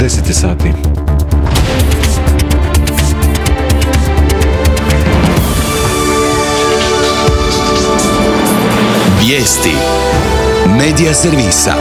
10 sati. Vijesti Medija servisa.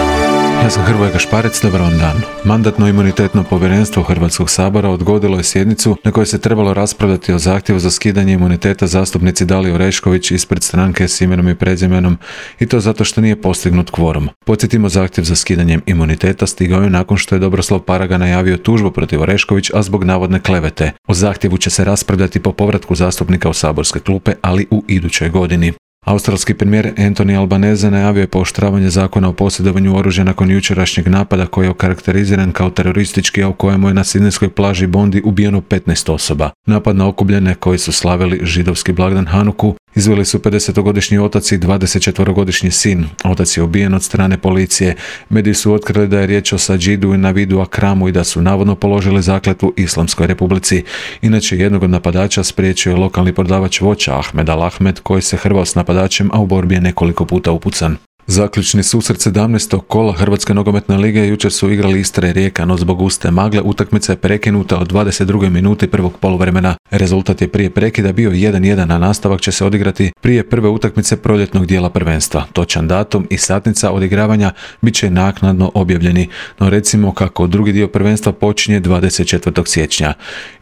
Ja sam Hrvoje Gašparec, dobar vam dan. Mandatno-imunitetno povjerenstvo Hrvatskog sabora odgodilo je sjednicu na kojoj se trebalo raspravljati o zahtjevu za skidanje imuniteta zastupnici Daliji Orešković ispred stranke s imenom i prezimenom, i to zato što nije postignut kvorum. Podsjetimo, zahtjev za skidanjem imuniteta stigao je nakon što je Dobroslav Paraga najavio tužbu protiv Orešković, a zbog navodne klevete. O zahtjevu će se raspravljati po povratku zastupnika u saborske klupe, ali u idućoj godini. Australski premijer Anthony Albanese najavio je pooštravanje zakona o posjedovanju oružja nakon jučerašnjeg napada koji je okarakteriziran kao teroristički, a u kojemu je na sidnejskoj plaži Bondi ubijeno 15 osoba. Napad na okupljene koji su slavili židovski blagdan Hanuku izveli su 50-godišnji otac i 24-godišnji sin. Otac je ubijen od strane policije. Mediji su otkrili da je riječ o Sadžidu i Navidu Akramu i da su navodno položili zakletvu Islamskoj republici. Inače, jednog od napadača spriječio je lokalni prodavač voća Ahmed Al-Ahmed, koji se hrvao s napadačem, a u borbi je nekoliko puta upucan. Zaključni susret 17. kola Hrvatske nogometne lige jučer su igrali Istra i Rijeka, no zbog guste magle utakmica je prekinuta od 22. minuti prvog poluvremena. Rezultat je prije prekida bio 1:1, a nastavak će se odigrati prije prve utakmice proljetnog dijela prvenstva. Točan datum i satnica odigravanja bit će naknadno objavljeni, no recimo kako drugi dio prvenstva počinje 24. siječnja.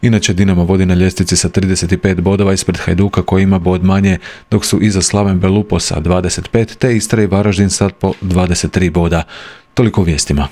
Inače, Dinamo vodi na ljestvici sa 35 bodova ispred Hajduka koji ima bod manje, dok su iza Slaven Belupo sa 25, te Istra i Varaždin sad po 23 boda. Toliko o vijestima.